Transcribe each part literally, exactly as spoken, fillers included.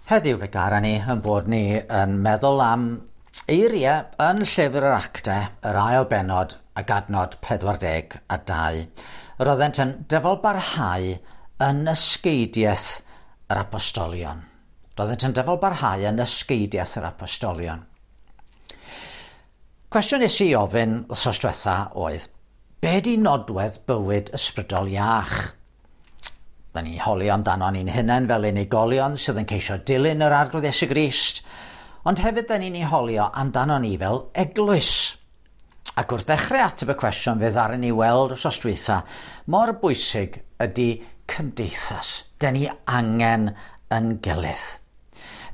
Heddiw fe gara ni yn bod ni yn meddwl am eiriau yn Llyfr yr Actau, yr ail bennod ac adnod pedwar deg a dau. Yr oeddent yn dyfalbarhau yn ysgeidiaeth yr apostolion. Roeddent yn dyfalbarhau yn ysgeidiaeth yr apostolion. Cwestiwn nes i ofyn wythnos diwetha oedd, be di nodwedd bywyd ysbrydol iach? Da ni'n holi amdano ni'n hunain fel unigolion sydd yn ceisio dilyn yr Arglwydd Iesu Grist, ond hefyd da ni'n ei holio amdano ni fel eglwys. Ac wrth ddechrau ateb y cwestiwn fe ddaru ni weld wythnos dwytha mor bwysig ydy cymdeithas. Da ni angen yn gilydd.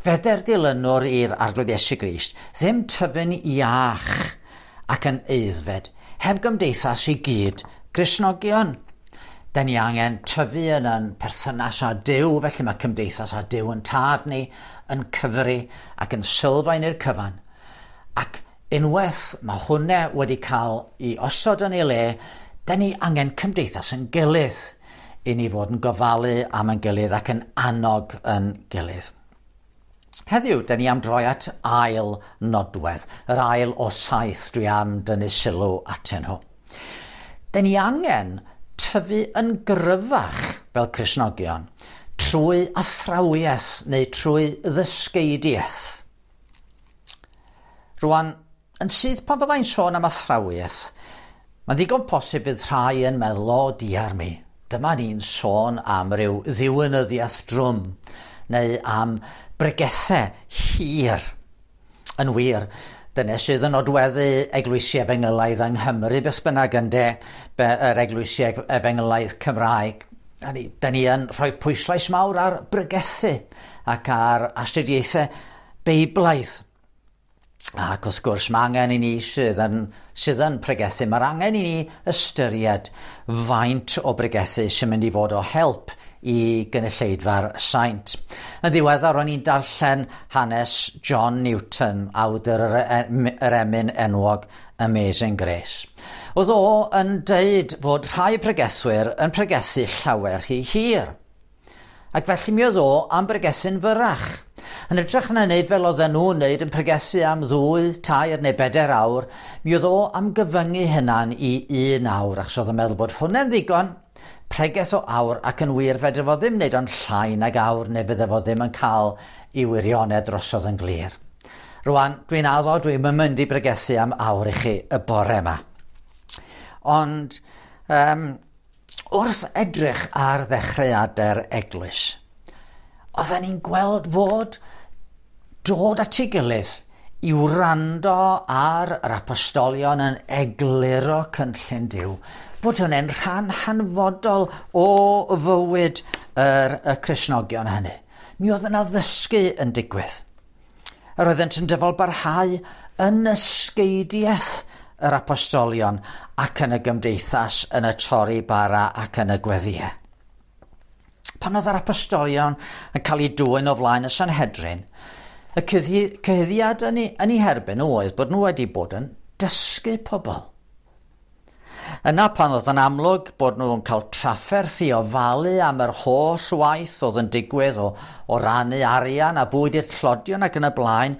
Feder dilynwr i'r Arglwydd Iesu Grist ddim tyfu'n iach ac yn aeddfed heb gymdeithas i gyd Gristnogion. Da ni angen tyfu yn yn perthynas â Duw, felly mae cymdeithas â Duw yn tad ni, yn cyfri ac yn sylfaen i'r cyfan. Ac unwaith mae hwnna wedi cael ei osod yn ei le, da ni angen cymdeithas yn gilydd i ni fod yn gofalu am yn gilydd ac yn annog yn gilydd. Heddiw, da ni am droi at ail nodwedd, yr ail o saith dwi am dynnu sylw atyn nhw. Da ni angen tyfu yn gryfach fel Cristnogion trwy athrawiaeth neu trwy ddysgeidiaeth. Rwan, yn syth pan byddai'n sôn am athrawiaeth, mae'n ddigon posib bydd rhai yn meddwl, o diar mi, dyma ni'n sôn am ryw ddiwinyddiaeth drwm neu am bregethau hir. Yn wir, dyna sydd yn nodweddu eglwysi efengylaidd yng Nghymru, beth bynnag ynde, yr eglwysi efengylaidd Cymraeg. Da ni, da ni yn rhoi pwyslais mawr ar bregethu ac ar astudiaethau Beiblaidd. Ac wrth gwrs, mae angen i ni sydd yn, sydd yn pregethu, mae'r angen i ni ystyried faint o bregethu sy'n mynd i fod o help i gynulleidfa'r saint. Yn ddiweddar, o'n i'n darllen hanes John Newton, awdur yr, yr emyn enwog Amazing Grace. Oedd o yn deud fod rhai pregethwyr yn pregethu llawer rhy hir. Ac felly mi oedd o am bregethu'n fyrrach. Yn hytrach na wneud fel oedden nhw'n wneud yn pregethu am ddwy, tair neu bedair awr, mi oedd o am gyfyngu hynna'n i un awr, achos oedd o'n meddwl bod hwnna'n ddigon, pregeth o awr, ac yn wir fedre fo ddim wneud o'n llai nag awr neu fydde fo ddim yn cael ei wirionedd drosodd yn glir. Rwan, dwi'n addo, dwi'n mynd i bregethu am awr i chi y bore yma. Ond um, wrth edrych ar ddechreuadau'r eglwys, oedden ni'n gweld fod dod at ei gilydd i wrando ar yr apostolion yn egluro cynllun Duw, bod hwnna'n rhan hanfodol o fywyd yr, y Cristnogion hynny. Mi oedd yna ddysgu yn digwydd. Yr oeddent yn dyfalbarhau yn ysgeidiaeth yr apostolion ac yn y gymdeithas, yn y torri bara ac yn y gweddïau. Pan oedd yr apostolion yn cael eu dwyn o flaen y Sanhedrin, y cyhuddiad yn ei, yn ei herbyn oedd bod nhw wedi bod yn dysgu pobl. Yna pan oedd yn amlwg bod nhw'n cael trafferth i ofalu am yr holl waith oedd yn digwydd o, o rannu arian a bwyd i'r tlodion ac yn y blaen,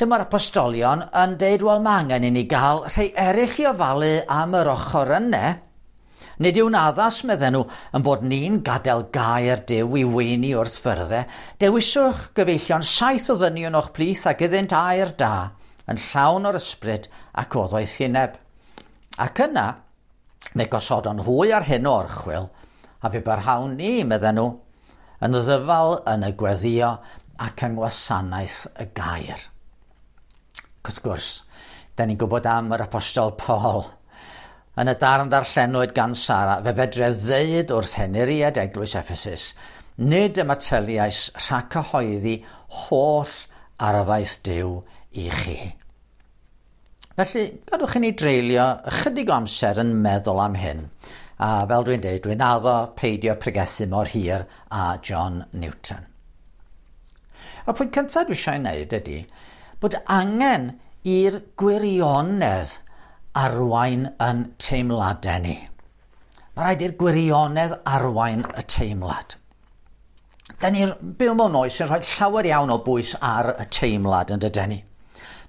dyma'r apostolion yn deud, wel, mae angen i ni gael rhai eraill i ofalu am yr ochr yna. Nid yw'n addas, medden nhw, yn bod ni'n gadael gair Duw i weini wrth fyrddau. Dewiswch, gyfeillion, saith o ddynion o'ch plith ac iddynt air da, yn llawn o'r ysbryd ac o ddoethineb. Ac yna, fe gosodon hwy ar hyn o orchwyl, a fe barhawn ni, medden nhw, yn ddyfal yn y gweddio ac yng ngwasanaeth y gair. Ac wrth gwrs, da ni'n gwybod am yr apostol Paul. Yn y darn ddarllenwyd gan Sara, fe fedre ddeud wrth henuriad eglwys Ephesus, nid ymateliais rhag cyhoeddi holl arfaeth Duw i chi. Felly, gadwch i ni dreulio ychydig o amser yn meddwl am hyn. A fel dwi'n deud, dwi'n addo peidio pregethu mor hir â John Newton. Y pwynt cyntaf dwi eisiau wneud ydy bod angen i'r gwirionedd arwain yn teimladau ni. Mae rhaid i'r gwirionedd arwain y teimlad. Da ni'n byw mewn oes sy'n rhoi llawer iawn o bwys ar y teimlad yn dydyn ni.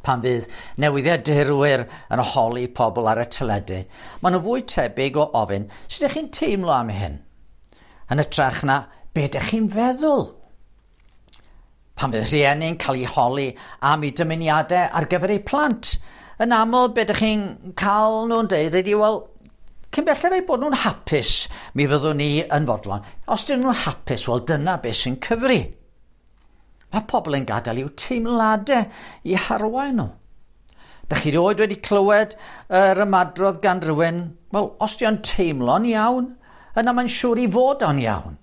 Pan fydd newyddiadurwyr yn holi pobl ar y teledu, maen nhw fwy tebyg o ofyn, sut ydych chi'n teimlo am hyn? Yn hytrach na, be ydych chi'n feddwl? Pan fydd rhieni'n cael eu holi am eu dymuniadau ar gyfer eu plant, yn aml be ydych chi'n cael nhw'n deud ydy, wel, cyn belled eu bod nhw'n hapus, mi fyddwn ni yn fodlon. Os dyn nhw'n hapus, wel dyna beth sy'n cyfri. Mae pobl yn gadael i'w teimladau i harwain nhw. Dych chi rioed wedi clywed yr ymadrodd gan rywun, wel, os di o'n teimlo'n iawn, yna mae'n siŵr i fod o'n iawn.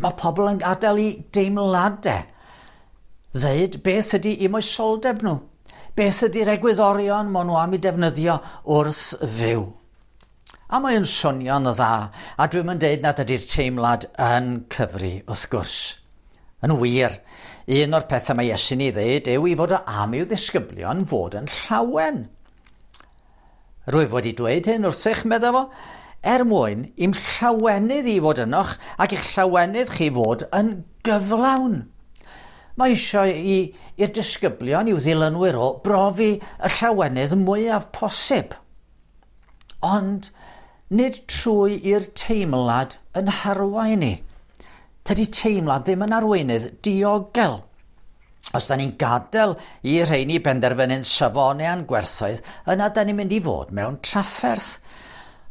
Mae pobl yn gadael i deimladau ddeud beth ydy eu moesoldeb nhw, beth ydy'r egwyddorion maen nhw am eu defnyddio wrth fyw. A mae'n swnio'n dda, a dwi'm yn deud nad ydy'r teimlad yn cyfri wrth gwrs. Yn wir, un o'r pethau mae Iesu'n ei ddeud yw i fod o am i'w ddisgyblion fod yn llawen. Rwyf wedi dweud hyn wrthych, medda fo, er mwyn i'm llawenydd i fod ynoch ac i'ch llawenydd chi fod yn gyflawn. Mae eisiau i'r disgyblion, i'w ddilynwyr o, brofi y llawenydd mwyaf posib. Ond nid trwy i'r teimlad yn harwain ni. Tydi teimlad ddim yn arweinydd diogel. Os da ni'n gadael i rheini benderfynu'n safonau a'n gwerthoedd, yna da ni'n mynd i fod mewn trafferth.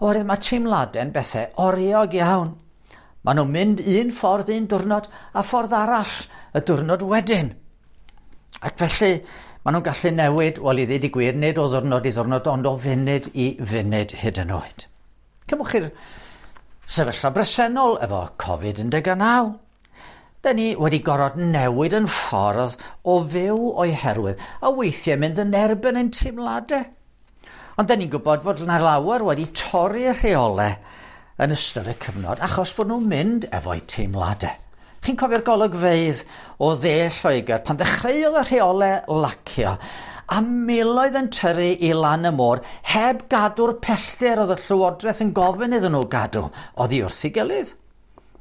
Oherwydd mae teimladau'n bethau oriog iawn. Maen nhw'n mynd un ffordd un diwrnod a ffordd arall y diwrnod wedyn. Ac felly, maen nhw'n gallu newid, wel i ddweud y gwir, nid o ddiwrnod i ddiwrnod, ond o funud i funud hyd yn oed. Cymwch chi'r sefyllfa bresennol efo Covid un deg naw. Da ni wedi gorfod newid yn ffordd o fyw o'i herwydd, a weithiau mynd yn erbyn ein teimladau. Ond da ni'n gwybod fod yna lawer wedi torri'r rheolau yn ystod y cyfnod achos bod nhw'n mynd efo'u teimladau. Chi'n cofio'r golygfeydd o dde Lloegr pan ddechreuodd y rheolau lacio a miloedd yn tyrru i lan y môr heb gadw'r pellter oedd y Llywodraeth yn gofyn iddyn nhw gadw oddi wrth ei gilydd.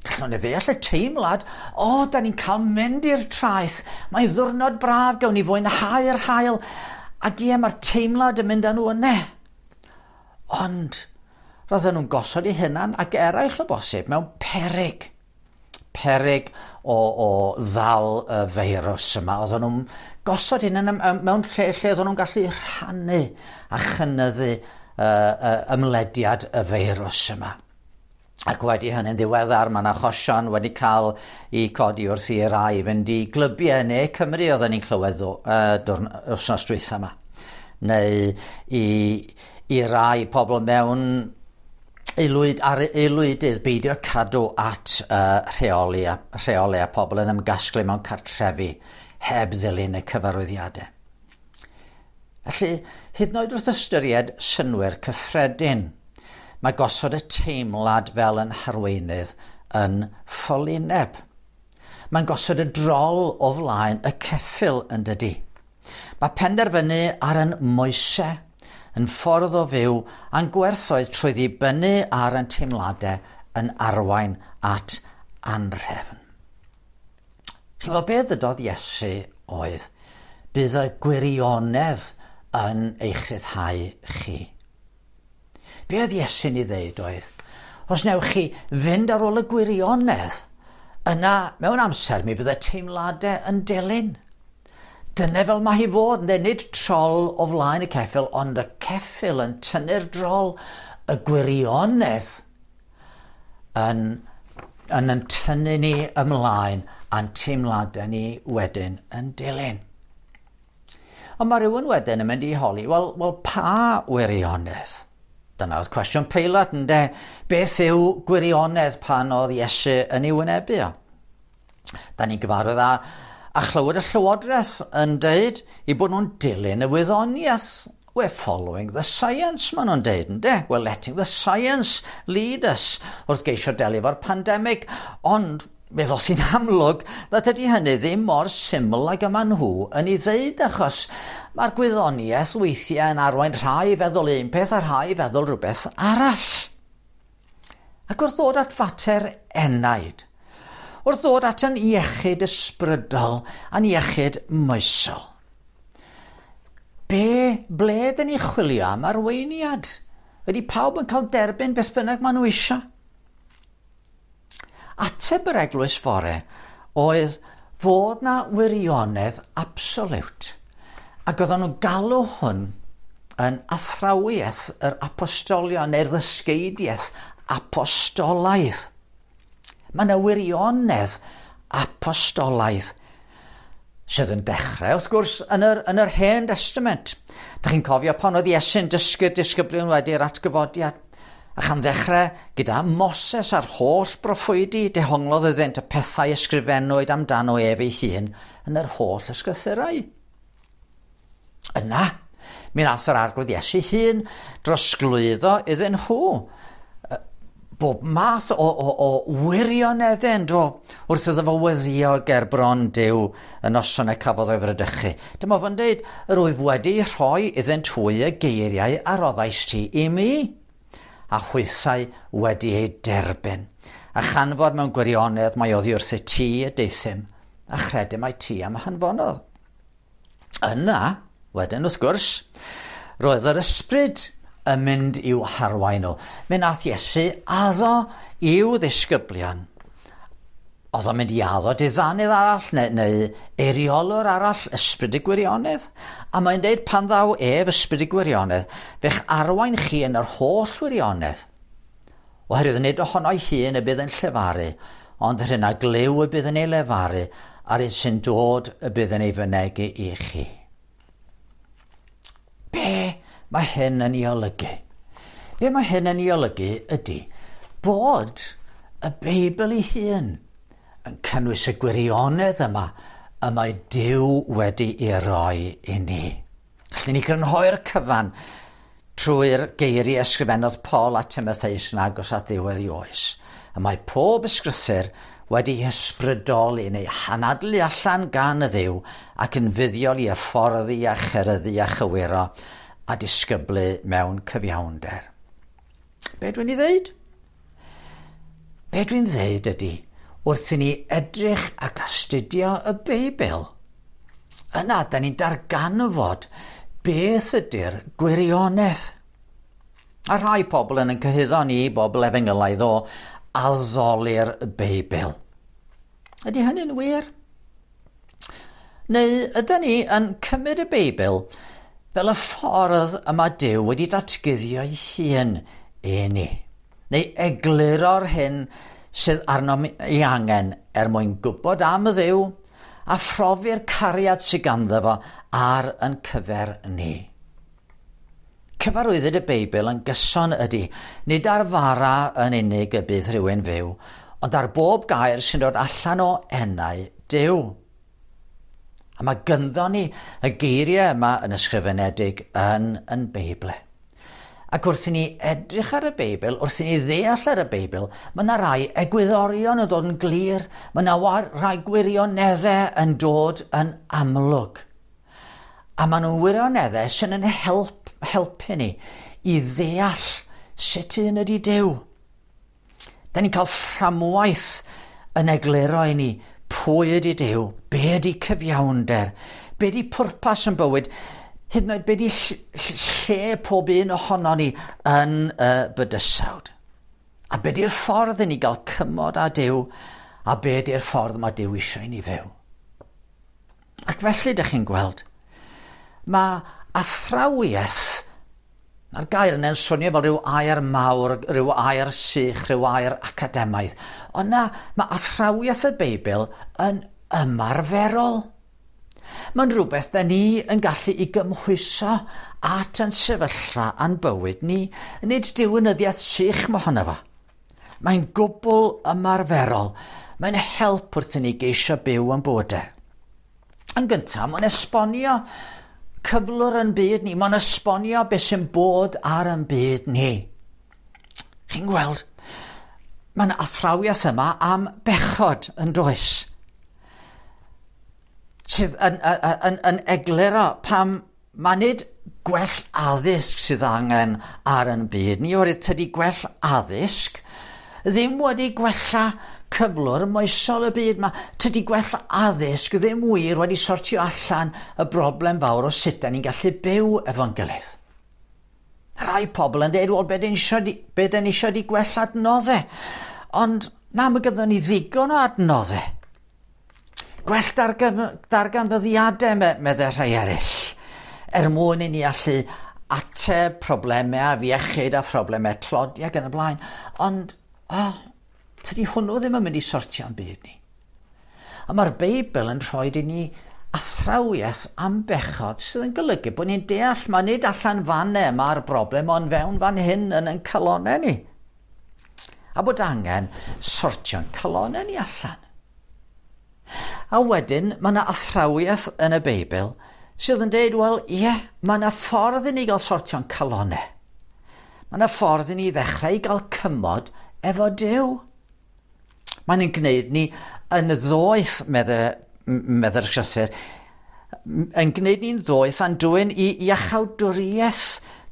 Gallwn ni ddeall y teimlad, o, da ni'n cael mynd i'r traeth, mae ddiwrnod braf, gawn ni fwynhau'r haul, ac ie, mae'r teimlad yn mynd â nhw yna. Ond, roedden nhw'n gosod eu hunan ac eraill o bosib mewn perig. Perig o, o ddal y feirws yma. Oedden nhw'n gosod hyn mewn lle lle oedden nhw'n gallu rhannu a chynyddu uh, uh, ymlediad y feirws yma. Ac wedi hynny'n ddiweddar, mae yna achosion wedi cael eu codi wrth i rai fynd i glybiau yn ne Cymru oedden ni'n clywed uh, wythnos dwytha yma. Neu i, i rai pobl mewn aelwyd, ar aelwydydd beidio cadw at uh, rheoli, a, rheoli a pobl yn ymgasglu mewn cartrefi heb ddilyn y cyfarwyddiadau. Felly, hyd yn oed wrth ystyried synnwyr cyffredin, mae gosod y teimlad fel yn harweinydd yn ffolineb. Mae'n gosod y drol o flaen y ceffyl yn dydy. Mae penderfynu ar yn moesau, yn ffordd o fyw a'n gwerthoedd trwy ddibynnu ar yn teimladau yn arwain at anrhefn. Chi'n gwybod beth ddydodd Iesu oedd, bydd y gwirionedd yn eich rhyddhau chi. Be oedd Iesu'n ei ddeud oedd, os newch chi fynd ar ôl y gwirionedd, yna mewn amser mi fydd y teimladau yn dilyn. Dyna fel mae hi fod, neu nid trol o flaen y ceffyl, ond y ceffyl yn tynnu'r drol, y gwirionedd yn, yn, yn tynnu ni ymlaen a'n teimladau ni wedyn yn dilyn. Ond mae rhywun wedyn yn mynd i holi, wel, wel pa wirionedd? Dyna oedd cwestiwn Peilat, ynde? Beth yw gwirionedd pan oedd Iesu yn ei wynebu o? Da ni'n gyfarwydd â, a chlywed y Llywodraeth yn deud i bod nhw'n dilyn y wyddoniaeth. We're following the science, maen nhw'n deud, ynde? We're letting the science lead us wrth geisio delio efo'r pandemig. Ond mi ddoth hi'n amlwg nad ydy hynny ddim mor syml ag yma nhw yn ei ddeud, achos mae'r gwyddoniaeth weithiau yn arwain rhai i feddwl un peth a rhai i feddwl rhywbeth arall. Ac wrth ddod at fater enaid, Wrth ddod at yn iechyd ysbrydol a'n iechyd moesol. Be, ble dyn ni chwilio am arweiniad? Ydy pawb yn cael derbyn beth bynnag maen nhw eisiau? Ateb yr eglwys fore oedd fod na wirionedd absoliwt. Ac oedden nhw'n galw hwn yn athrawiaeth yr apostolion neu'r ddysgeidiaeth apostolaidd. Mae yna wirionedd apostolaidd sydd yn dechrau, wrth gwrs, yn yr, yn yr Hen Testament. Dych chi'n cofio pan oedd Iesu'n dysgu'r disgyblion wedi'r atgyfodiad? A chan ddechrau gyda Moses a'r holl broffwydi, dehonglodd iddynt y pethau ysgrifennwyd amdano ef ei hun yn yr holl ysgrythurau. Yna, mi nath yr Arglwydd Iesu hun drosglwyddo iddyn nhw bob math o, o, o wirioneddau yn do, wrth iddo fo weddio ger bron Duw y noson y cafodd o'i fradychu. Dyma fo'n dweud, yr wyf wedi rhoi iddynt hwy y geiriau a roddais ti i mi, a hwythau wedi eu derbyn. A chanfod mewn gwirionedd mai oddi wrth y ti y deuthum, a chredu mai ti am hanfonodd. Yna, wedyn wrth gwrs, roedd yr ysbryd yn mynd i'w harwain nhw. Mi nath Iesu addo i'w ddisgyblion. Oedd o'n mynd i addo diddanydd arall neu, neu eiriolwr arall, ysbryd y gwirionedd. A mae'n dweud pan ddaw ef ysbryd y gwirionedd, fe'ch arwain chi yn yr holl wirionedd. Oherwydd nid ohono'i hun y bydd yn llefaru, ond yr hyn a glyw y bydd yn ei lefaru, a'r un sy'n dod y bydd yn ei fynegi i chi. Be mae hyn yn ei olygu? Be mae hyn yn ei olygu ydy bod y Beibl ei hun yn cynnwys y gwirionedd yma y mae Duw wedi ei roi i ni. Gallwn ni grynhoi'r cyfan trwy'r geiriau ysgrifennodd Paul a Timotheus yn agos at ddiwedd ei oes. Y mae pob ysgrythur wedi ysbrydoli neu hanadlu allan gan y Dduw ac yn fuddiol i hyfforddi a cheryddu a chywiro a disgyblu mewn cyfiawnder. Be dwi'n ei ddeud? Be dwi'n ddeud ydy, wrth i ni edrych ac astudio y Beibl, yna da ni'n darganfod beth ydy'r gwirionedd. A rhai pobl yn yn cyhuddo ni, bobl efengylaidd, o addoli'r Beibl. Ydy hynny'n wir? Neu ydyn ni yn cymryd y Beibl fel y ffordd y mae Duw wedi datguddio ei hun i ni, neu egluro'r hyn sydd arnom ei angen er mwyn gwybod am y Dduw a phrofi'r cariad sydd ganddo fo ar yn cyfer ni. Cyfarwyddyd y Beibl yn gyson ydy, nid ar fara yn unig y bydd rhywun fyw, ond ar bob gair sy'n dod allan o enau Duw. A mae gynddo ni y geiriau yma yn ysgrifenedig yn yn Beibl. Ac wrth i ni edrych ar y Beibl, wrth i ni ddeall ar y Beibl, mae yna rai egwyddorion yn dod yn glir, mae yna rai gwirioneddau yn dod yn amlwg. A maen nhw'n wirioneddau sy'n yn help, helpu ni i ddeall sut un ydy Duw. Da ni'n cael fframwaith yn egluro i ni pwy ydy Duw, be ydy cyfiawnder, be ydy pwrpas yn bywyd, hyd yn oed be ydy lle pob un ohono ni yn y bydysawd. A be ydy'r ffordd i ni gael cymod â Duw, a be ydy'r ffordd mae Duw eisiau i ni fyw. Ac felly, dych chi'n gweld, mae athrawiaeth, a'r gair yna'n swnio fel rhyw air mawr, rhyw air sych, rhyw air academaidd. Ond na, mae athrawiaeth y Beibl yn ymarferol. Mae'n rhywbeth da ni yn gallu i gymhwyso at yn sefyllfa a'n bywyd ni. Nid diwinyddiaeth sych mohono fo. Mae'n gwbl ymarferol. Mae'n help wrth i ni geisio byw yn bywydau. Yn gyntaf, mae'n esbonio cyflwr yn byd ni. Mae'n esbonio beth sy'n bod ar yn byd ni. Chi'n gweld, mae'n athrawiaeth yma am bechod yn does, sydd yn, yn, yn, yn egluro pam mae nid gwell addysg sydd angen ar yn byd ni, oherwydd tydi gwell addysg ddim wedi gwella cyflwr moesol y byd yma. Tydi gwell addysg ddim wir wedi sortio allan y broblem fawr o sut da ni'n gallu byw efo'n gilydd. Rai pobl yn dweud, wel, be dyn ni eisiau di gwell adnoddau? Ond na, mae gyda ni ddigon o adnoddau. Gwell darganfyddiadau, meddai rhai eraill, er mwyn i ni allu ateb problemau afiechyd a phroblemau tlodi ac yn y blaen. Ond, oh, tydi hwnnw ddim yn mynd i sortio'n byd ni. A mae'r Beibl yn rhoi i ni athrawiaeth am bechod sydd yn golygu bod ni'n deall mae nid allan fanne mae'r broblem, ond fewn fan hyn yn ein calonau ni. A bod angen sortio'n calonau ni allan. A wedyn, mae yna athrawiaeth yn y Beibl sydd yn deud, wel, ie, yeah, mae yna ffordd i ni gael sortio'n calonau. Mae yna ffordd i ni ddechrau i gael cymod efo Duw. Mae'n ein gwneud ni yn ddoeth, medde'r llythyr, yn gwneud ni'n ddoeth a'n dwyn i iachawdwriaeth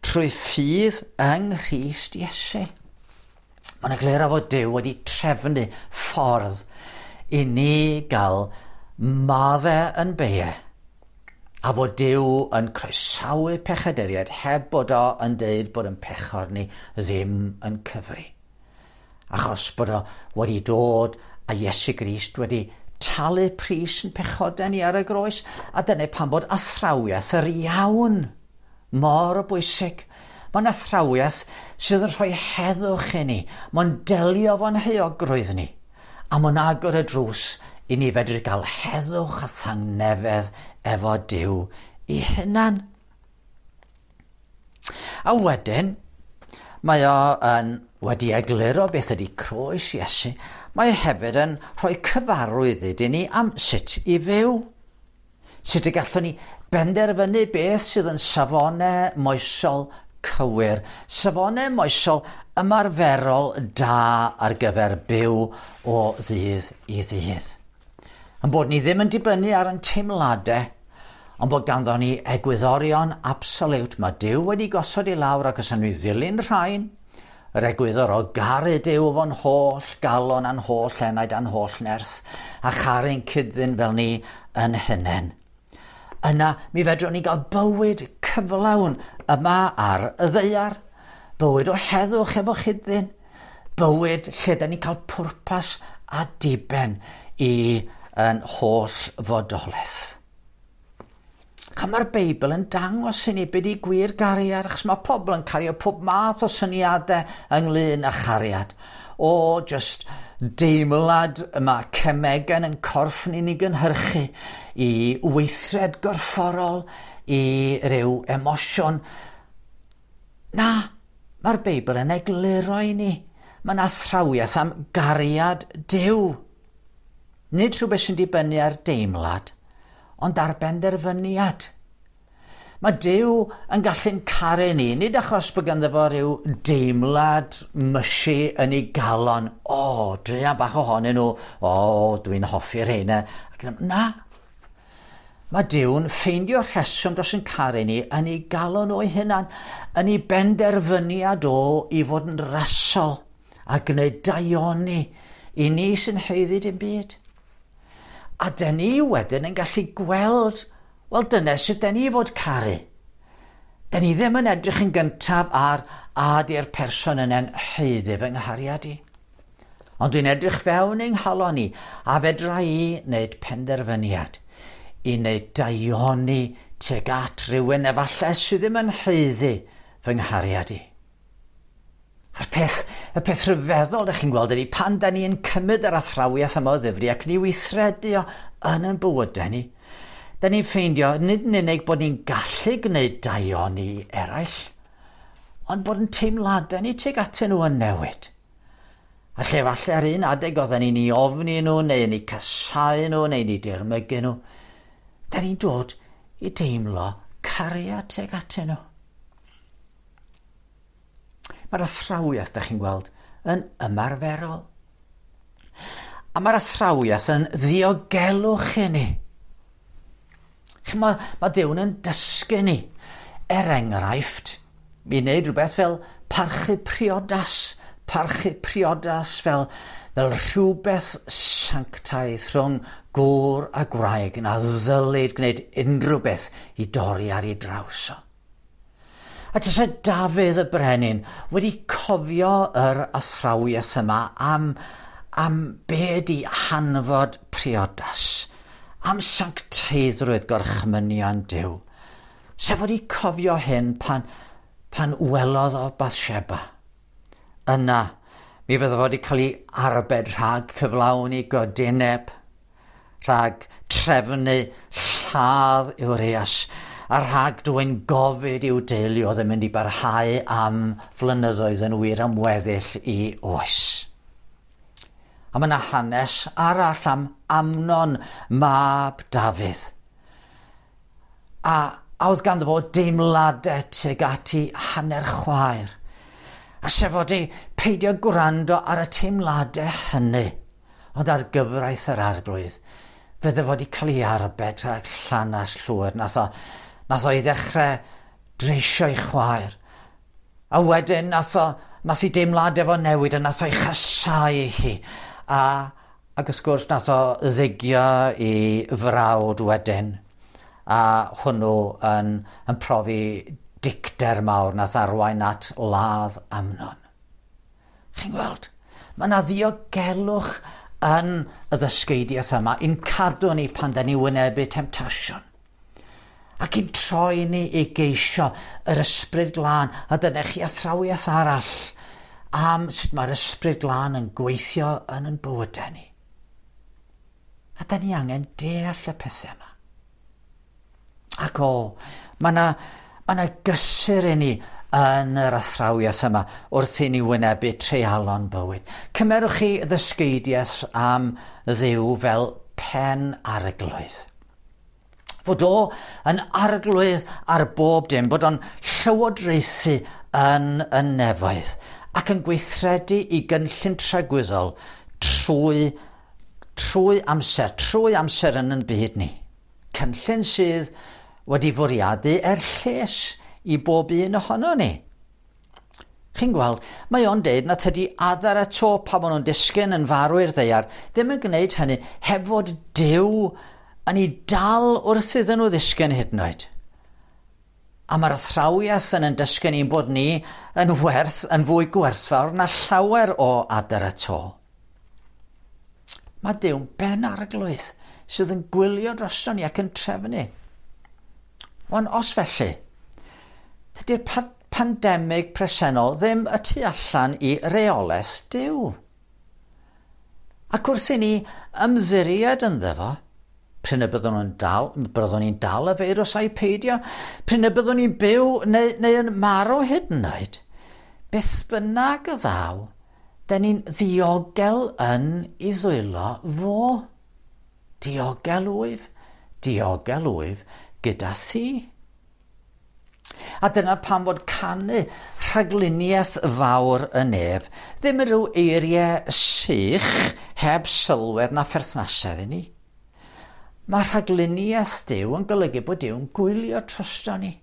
trwy ffydd yng Nghrist Iesu. Mae'n egluro fod Duw wedi trefnu ffordd i ni gael maddau yn beie, a fod Duw yn croesawu pechaduriaid heb bod o yn deud bod yn pechor ni ddim yn cyfri. Achos bod o wedi dod a Iesu Grist wedi talu pris yn pechodau ni ar y groes, a dyna pam bod athrawiaeth yr iawn mor bwysig. Mae'n athrawiaeth sydd yn rhoi heddwch i ni, mae'n delio fo'n heuogrwydd ni, a mae'n agor y drws i ni fedru gael heddwch a thangnefedd efo Duw i hunan. A wedyn, mae o yn wedi egluro beth ydy croes Iesu. Mae hefyd yn rhoi cyfarwyddyd i ni am sut i fyw. Sut y gallwn ni benderfynu beth sydd yn safonau moesol cywir, safonau moesol ymarferol da ar gyfer byw o ddydd i ddydd. Yn bod ni ddim yn dibynnu ar ein teimladau, ond bod ganddo ni egwyddorion absoliwt. Mae Duw wedi gosod i lawr ac os ydyn ni ddilyn rhain, yr egwyddor o garu Duw fo'n holl galon a'n holl enaid a'n holl nerth, a charu'n cyd-ddyn fel ni yn hunain. Yna, mi fedrwn ni gael bywyd cyflawn yma ar y ddaear, bywyd o heddwch efo chyd-ddyn, bywyd lle da ni'n cael pwrpas a diben i yn holl fodolaeth. A mae'r Beibl yn dangos i ni beth i gwir gariad, achos mae pobl yn cario pob math o syniadau ynglyn â chariad. O, just deimlad mae cemegau yn corff ni'n ei gynhyrchu i weithred gorfforol, i ryw emosiwn. Na, mae'r Beibl yn egluro i ni. Mae'n athrawiaeth am gariad Duw. Nid rhywbeth sy'n dibynnu ar deimlad, ond ar benderfyniad. Mae Duw yn gallu'n caru ni, nid achos bod ganddo fo ryw deimlad mysi yn ei galon. O, druan bach ohonyn nhw, o, dwi'n hoffi'r rheina. Na, mae Duw'n ffeindio rheswm dros yn caru ni yn ei galon o'i hunan, yn ei benderfyniad o i fod yn rasol a gwneud daioni i ni sy'n haeddu dim byd. A dyn ni wedyn yn gallu gweld, wel dyna sut dyn ni fod caru. Dyn ni ddim yn edrych yn gyntaf ar a di'r person yna'n haeddu fy nghariad i. Ond dwi'n edrych fewn yng nghalon i a fedra i wneud penderfyniad i wneud daioni tuag at rhywun efallai sydd ddim yn haeddu fy nghariad i. A'r peth, y peth rhyfeddol ydych chi'n gweld ydy pan da ni yn cymryd yr athrawiaeth yma o ddifri ac ni weithredu o yn ein bywydau ni, da ni'n ffeindio nid yn unig bod ni'n gallu gwneud daioni eraill, ond bod yn teimladau ni tuag atyn nhw yn newid. A lle falle ar un adeg oedden ni'n ei ofni nhw, neu yn eu casáu nhw, neu yn eu dirmygu nhw, da ni'n dod i deimlo cariad tuag atyn nhw. Mae'r athrawiaeth, da chi'n gweld, yn ymarferol. A mae'r athrawiaeth yn ddiogelwch i ni. Mae, mae Duw'n yn dysgu ni. Er enghraifft, i wneud rhywbeth fel parchu priodas, Parchu priodas fel, fel rhywbeth sanctaidd rhwng gŵr a gwraig na ddylid gwneud unrhyw beth i dorri ar ei draws o. A tase Dafydd y brenin wedi cofio yr athrawiaeth yma am, am be di hanfod priodas, am sancteiddrwydd gorchmynion Duw. Sef wedi cofio hyn pan, pan welodd o Bathsheba. Yna, mi fydde fo wedi cael ei arbed rhag cyflawni godineb, rhag trefnu lladd Urias, a rhag dwyn gofid i'w deulu oedd yn mynd i barhau am flynyddoedd yn wir am weddill i oes. A mae yna hanes arall am Amnon, mab Dafydd. A, a oedd ganddo fo deimladau tuag at ei hanner chwaer. A sef fod ei peidio gwrando ar y teimladau hynny, ond ar gyfraith yr Arglwydd, fydde fod i cael ei arbed rhag llanas llwyr. Nath o, nath o i ddechrau dreisio ei chwaer. A wedyn nath o, nath i deimladau fo newid a nath o'i chasau hi. A, ac wrth gwrs nath o ddigio i frawd wedyn. A hwnnw yn, yn profi dicter mawr nath arwain at ladd Amnon. Chi'n gweld? Mae yna ddiogelwch yn y ddysgeidiaeth yma i'n cadw ni pan da ni wynebu temtasiwn. Ac i'n troi ni i geisio yr Ysbryd Glân, a dyna chi athrawiaeth arall am sut mae'r Ysbryd Glân yn gweithio yn yn bywydau ni. A da ni angen deall y pethau yma. Ac o, mae yna mae yna gysur i ni yn yr athrawiaeth yma wrth i ni wynebu treialon bywyd. Cymerwch chi ddysgeidiaeth am Dduw fel pen arglwydd. Fod o yn arglwydd ar bob dim, bod o'n llywodraethu yn y nefoedd ac yn gweithredu i gynllun tragwyddol trwy, trwy amser, trwy amser yn yn byd ni. Cynllun sydd wedi fwriadu er lles i bob un ohono ni. Chi'n gweld, mae o'n deud na tydi adar y to pan maen nhw'n disgyn yn farw i'r ddaear ddim yn gwneud hynny heb fod Duw yn ei dal wrth iddyn nhw ddisgyn hyd yn oed. A mae'r athrawiaeth yn yn dysgu ni'n bod ni yn werth, yn fwy gwerthfawr na llawer o adar y to. Mae Duw'n ben arglwydd sydd yn gwylio drosto ni ac yn trefnu. Wan, os felly, tydi'r pa pandemig presennol ddim y tu allan i reolaeth Duw. Ac wrth i ni ymddiried ynddo fo, prin y byddwn ni'n dal, byddwn ni'n dal y feirws a'i peidio, prin y byddwn ni'n byw neu, neu yn marw hyd yn oed, beth bynnag y ddaw, da ni'n ddiogel yn ei ddwylo fo. Diogel wyf, diogel wyf gyda thi. A dyna pam fod canu rhagluniaeth fawr y nef ddim yn rhyw eiriau sych heb sylwedd na pherthnasedd i ni. Mae rhagluniaeth Duw yn golygu bod Duw yn gwylio drosto ni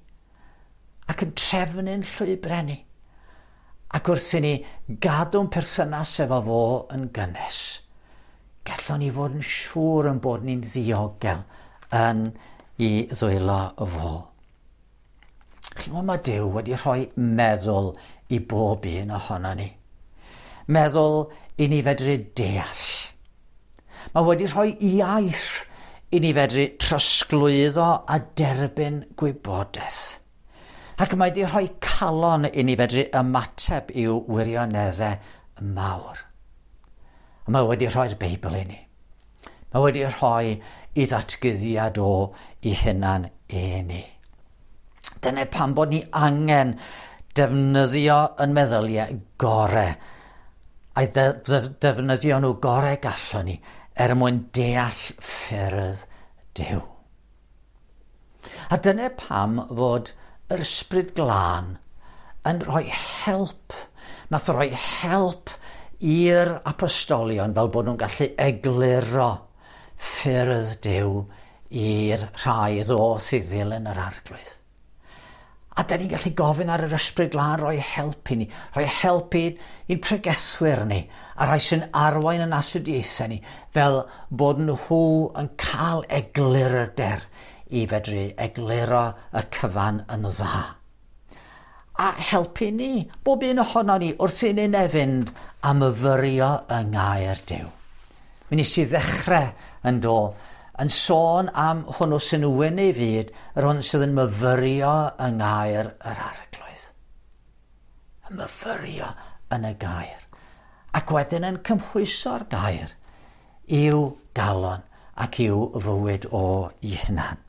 ac yn trefnu'n llwybrau ni. Ac wrth i ni gadw'n perthynas efo fo yn gynnes, gallwn ni fod yn siŵr yn bod ni'n ddiogel yn i ddwylo fo. Chi'n gwybod, mae Duw wedi rhoi meddwl i bob un ohono ni. Meddwl i ni fedru deall. Mae wedi rhoi iaith i ni fedru trosglwyddo a derbyn gwybodaeth. Ac mae wedi rhoi calon i ni fedru ymateb i'w wirioneddau mawr. A mae wedi rhoi'r Beibl i ni. Mae wedi rhoi i ddatguddiad o i hunan i ni. Dyna pam bod ni angen defnyddio yn meddyliau gorau a'i ddefnyddio nhw gorau gallwn ni er mwyn deall ffyrdd Duw. A dyna pam fod yr Ysbryd Glân yn rhoi help, nath rhoi help i'r apostolion fel bod nhw'n gallu egluro ffyrdd Duw i'r rhai ddoth i ddilyn yr Arglwydd. A da ni'n gallu gofyn ar yr Ysbryd Glân roi help i ni, rhoi help i'n pregethwyr ni, a rhai sy'n arwain yn astudiaethau ni, fel bod nhw yn cael eglurder i fedru egluro y cyfan yn dda. A helpu ni, bob un ohono ni, wrth i ni fynd a myfyrio yng ngair Duw. Mi nes i ddechrau yn do, yn sôn am hwnnw sy'n wyn ei fyd, yr hwn sydd yn myfyrio yng ngair yr Arglwydd. Yn myfyrio yn y gair. Ac wedyn yn cymhwyso'r gair i'w galon ac i'w fywyd o i hunan.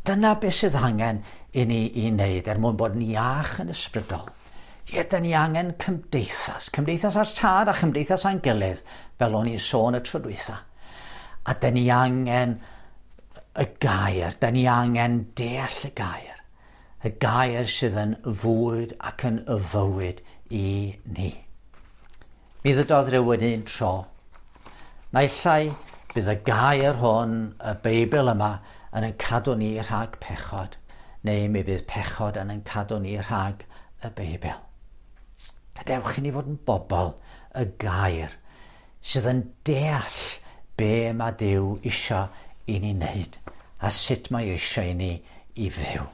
Dyna beth sydd angen i ni i wneud er mwyn bod yn iach yn ysbrydol. Ie, da ni angen cymdeithas. Cymdeithas â'r Tad a chymdeithas â'n gilydd, fel o'n i'n sôn y tro dwytha. A da ni angen y gair, da ni angen deall y gair. Y gair sydd yn fwyd ac yn y fywyd i ni. Mi ddydodd rhywun un tro. Naill ai bydd y gair hwn, y Beibl yma, yn ein cadw ni rhag pechod, neu mi fydd pechod yn ein cadw ni rhag y Beibl. Gadewch i ni fod yn bobl y gair sydd yn deall be mae Duw isio i ni wneud a sut mae eisiau i ni i fyw.